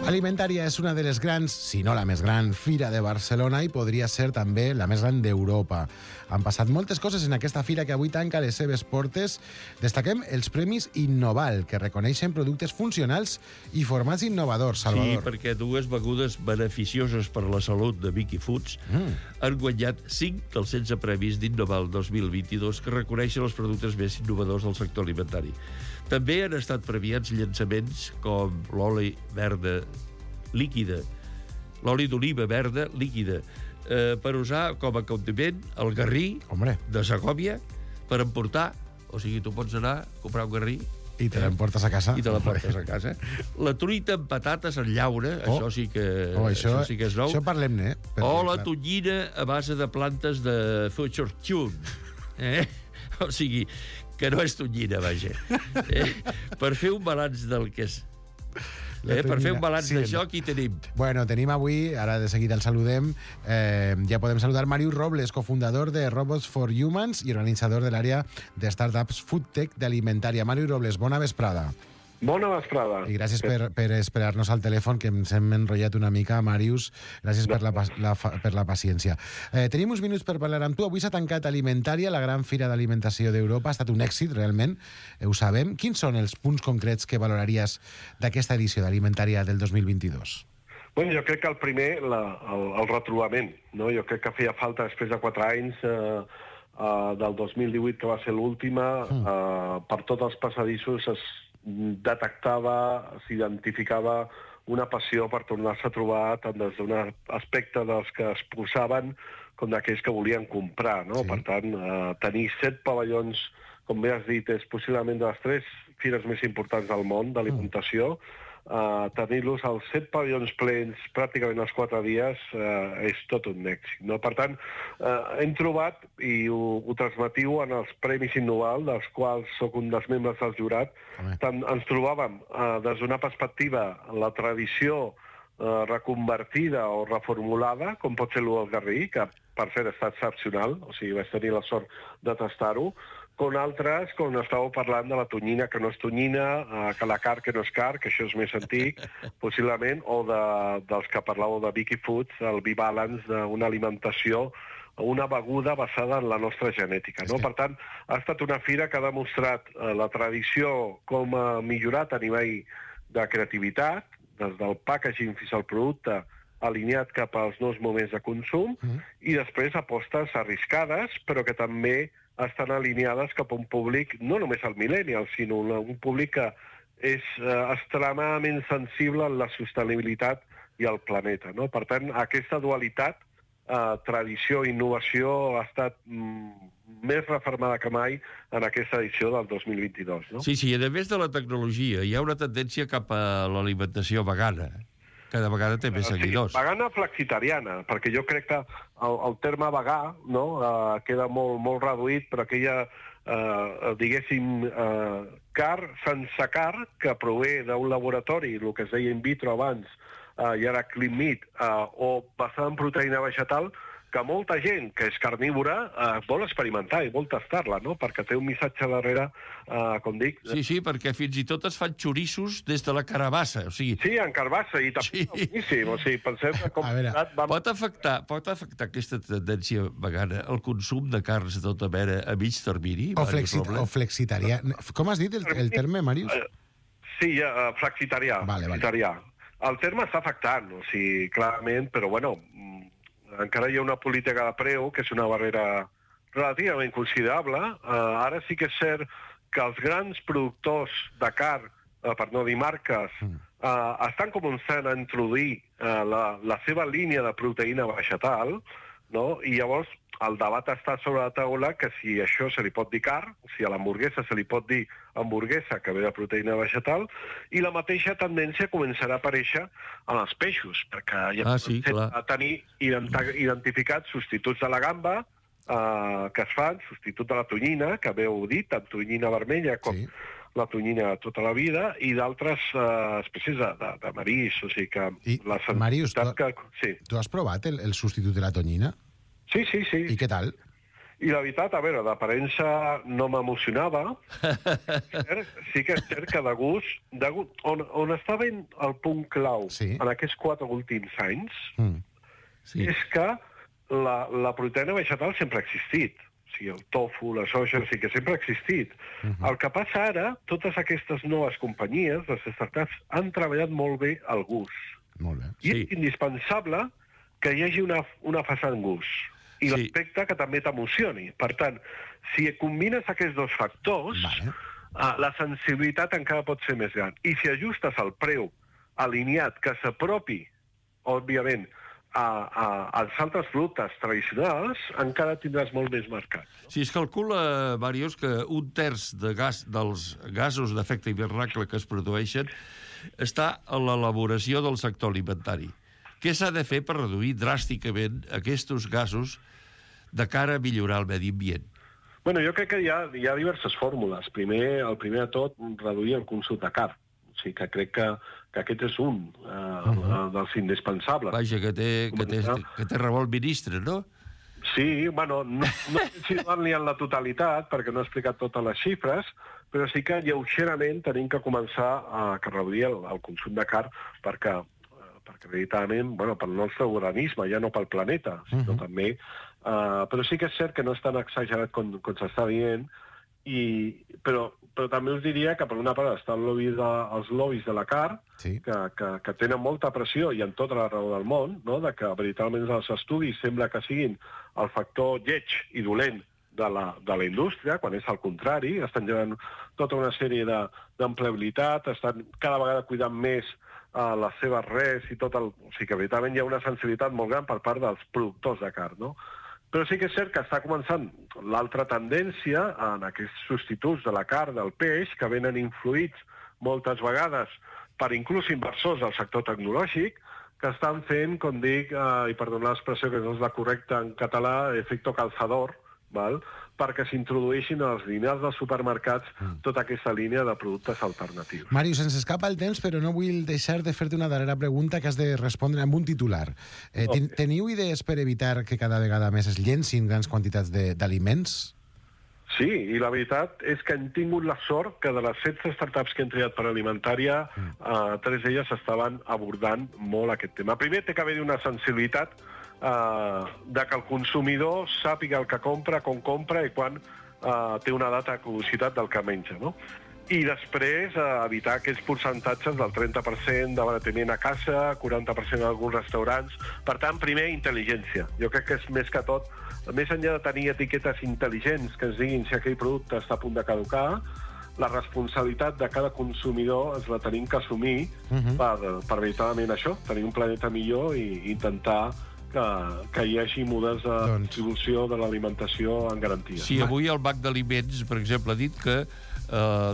Alimentària és una de les grans, si no la més gran, fira de Barcelona i podria ser també la més gran d'Europa. Han passat moltes coses en aquesta fira que avui tanca les seves portes. Destaquem els Premis Innoval, que reconeixen productes funcionals i formats innovadors. Salvador. Sí, perquè dues begudes beneficioses per a la salut de Vicky Foods han guanyat 5 dels 16 premis d'Innoval 2022 que reconeixen els productes més innovadors del sector alimentari. També han estat premiats llançaments com l'oli verda líquida, l'oli d'oliva verda líquida, per usar com a condiment el garrí de Segòvia per emportar. O sigui, tu pots anar a comprar un garrí i te l'emportes a casa. I te l'emportes a casa. La truita amb patates en llauna, això sí que és nou. Això parlem-ne, O la tonyina a base de plantes de Future Tune. O sigui, que no és tonyina, vaja. Per fer un balanç del que és... Per fer un balanç d'això, qui tenim? Bueno, tenim avui, ara de seguida el saludem, ja podem saludar Màrius Robles, cofundador de Robots for Humans i organitzador de l'àrea de startups Foodtech d'Alimentària. Màrius Robles, bona vesprada. Bona vesprada. I gràcies per esperar-nos al telèfon, que ens hem enrotllat una mica, Màrius. Gràcies per la paciència. Tenim uns minuts per parlar amb tu. Avui s'ha tancat Alimentària, la gran fira d'alimentació d'Europa. Ha estat un èxit, realment, ho sabem. Quins són els punts concrets que valoraries d'aquesta edició d'Alimentària del 2022? Bueno, jo crec que el primer, el retrobament. No? Jo crec que feia falta, després de 4 anys, del 2018, que va ser l'última, per tots els passadissos es detectava, s'identificava una passió per tornar-se a trobar tant des d'un aspecte dels que es posaven com d'aquells que volien comprar, no? Sí. Per tant, tenir 7 pavellons, com bé has dit, és possiblement de les 3 fires més importants del món d'alimentació. Tenir-los als 7 pavellons plens pràcticament els 4 dies és tot un èxit, no? Per tant, hem trobat, i ho transmetiu en els Premis Innoval, dels quals sóc un dels membres del jurat, ens trobàvem des d'una perspectiva la tradició reconvertida o reformulada, com pot ser l'U del Garrí, que per cert està excepcional, o sigui, vaig tenir la sort de tastar-ho, com altres, com estàveu parlant de la tonyina que no és tonyina, que la car que no és car, que això és més antic, possiblement, o dels que parlàveu de Vicky Foods, el B-Balance d'una alimentació, una beguda basada en la nostra genètica, no? Per tant, ha estat una fira que ha demostrat la tradició com ha millorat a nivell de creativitat, des del packaging fins al producte, alineat cap als nous moments de consum, i després apostes arriscades, però que també estan alineades cap a un públic, no només el millennial, sinó un públic que és extremadament sensible en la sostenibilitat i al planeta, no? Per tant, aquesta dualitat, tradició i innovació, ha estat més refermada que mai en aquesta edició del 2022. No? Sí, i a més de la tecnologia, hi ha una tendència cap a l'alimentació vegana. Cada vegada té més seguidors. Sí, vegana flexitariana, perquè jo crec que el terme vegà, no, queda molt reduït, però aquella, diguéssim, car sense car, que prové d'un laboratori, el que es deia in vitro abans, i ara clean meat, o basada en proteïna vegetal, que molta gent que és carnívora vol experimentar i vol tastar-la, no? Perquè té un missatge darrere, com dic... Sí, perquè fins i tot es fan xorissos des de la carabassa, o sigui... Sí, en carbassa, i també boníssim, o sigui, pensem que com... Pot afectar aquesta tendència vegana el consum de carns de tota mena a mig termini? O flexitarià. Com has dit el terme, Màrius? Sí, flexitarià. El terme està afectant, o sigui, clarament, però bueno... encara hi ha una política de preu, que és una barrera relativament considerable. Ara sí que és cert que els grans productors de carn, per no dir marques, estan començant a introduir la seva línia de proteïna vegetal, no? I llavors el debat està sobre la taula que si això se li pot dir carn, si a l'hamburguesa se li pot dir hamburguesa que ve de proteïna vegetal, i la mateixa tendència començarà a aparèixer en els peixos, perquè ja a tenir identificats substituts de la gamba que es fan, substitut de la tonyina, que haveu dit, tant tonyina vermella com la tonyina tota la vida, i d'altres espècies de marís, o sigui que... Màrius, tu has provat el substitut de la tonyina? Sí. I què tal? I la veritat, a veure, d'aparença no m'emocionava. Sí que és cert que de gust on està ben el punt clau en aquests 4 últims anys és que la proteïna vegetal sempre ha existit. O sigui, el tofu, la soja, sí que sempre ha existit. El que passa ara, totes aquestes noves companyies, les startups, han treballat molt bé el gust. Molt bé. I és indispensable que hi hagi una fase en gust. I l'aspecte que també t'emocioni. Per tant, si combines aquests 2 factors, la sensibilitat encara pot ser més gran. I si ajustes el preu alineat que s'apropi, òbviament, als altres productes tradicionals, encara tindràs molt més mercat. Sí, es calcula, Màrius, que 1/3 dels gasos d'efecte hivernacle que es produeixen està a l'elaboració del sector alimentari. Què s'ha de fer per reduir dràsticament aquests gasos de cara a millorar el medi ambient? Bueno, jo crec que hi ha diverses fórmules. El primer de tot, reduir el consum de carn. O sigui que crec que aquest és un dels indispensables. Vaja, que té raó el ministre, no? Sí, bueno, no sé ni en la totalitat, perquè no he explicat totes les xifres, però sí que lleugerament tenim que començar a reduir el consum de carn perquè veritablement, bueno, pel nostre organisme, ja no pel planeta, sinó també. Però sí que és cert que no és tan exagerat com s'està dient, però també us diria que per una part està els lobbies de la carn, que tenen molta pressió i en tota la raó del món, no? De que veritablement els estudis sembla que siguin el factor lleig i dolent de la indústria, quan és al contrari, estan generant tota una sèrie d'empleabilitat, estan cada vegada cuidant més les seves res i tot o sigui que veritablement hi ha una sensibilitat molt gran per part dels productors de carn, no? Però sí que és cert que està començant l'altra tendència en aquests substituts de la carn, del peix, que venen influïts moltes vegades per inclús inversors del sector tecnològic, que estan fent, com dic, i perdonar l'expressió que no és la correcta en català, efecto calzador, perquè s'introdueixin a les línies dels supermercats tota aquesta línia de productes alternatius. Màrius, ens escapa el temps, però no vull deixar de fer-te una darrera pregunta que has de respondre amb un titular. Teniu idees per evitar que cada vegada més es llencin grans quantitats d'aliments? Sí, i la veritat és que hem tingut la sort que de les 16 startups que hem triat per alimentària, 3 d'elles estaven abordant molt aquest tema. Primer, té que haver-hi una sensibilitat de que el consumidor sàpiga el que compra, com compra i quan té una data de caducitat del que menja, no? I després evitar aquests percentatges del 30% d'abaratiment a casa, 40% en alguns restaurants. Per tant, primer, intel·ligència. Jo crec que és més que tot, més enllà de tenir etiquetes intel·ligents que ens diguin si aquell producte està a punt de caducar, la responsabilitat de cada consumidor ens la tenim que assumir per veritablement això, tenir un planeta millor i intentar que hi hagi models de distribució de l'alimentació en garantia. Sí, avui el Banc d'Aliments, per exemple, ha dit que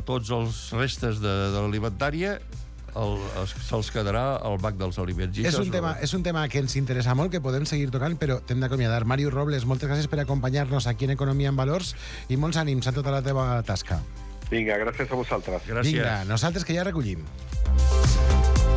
tots els restes de l'alimentària se'ls quedarà al Banc dels Aliments. És un tema que ens interessa molt, que podem seguir tocant, però t'hem d'acomiadar. Màrius Robles, moltes gràcies per acompanyar-nos aquí en Economia en Valors i molts ànims a tota la teva tasca. Vinga, gràcies a vosaltres. Gràcies. Vinga, nosaltres que ja recollim.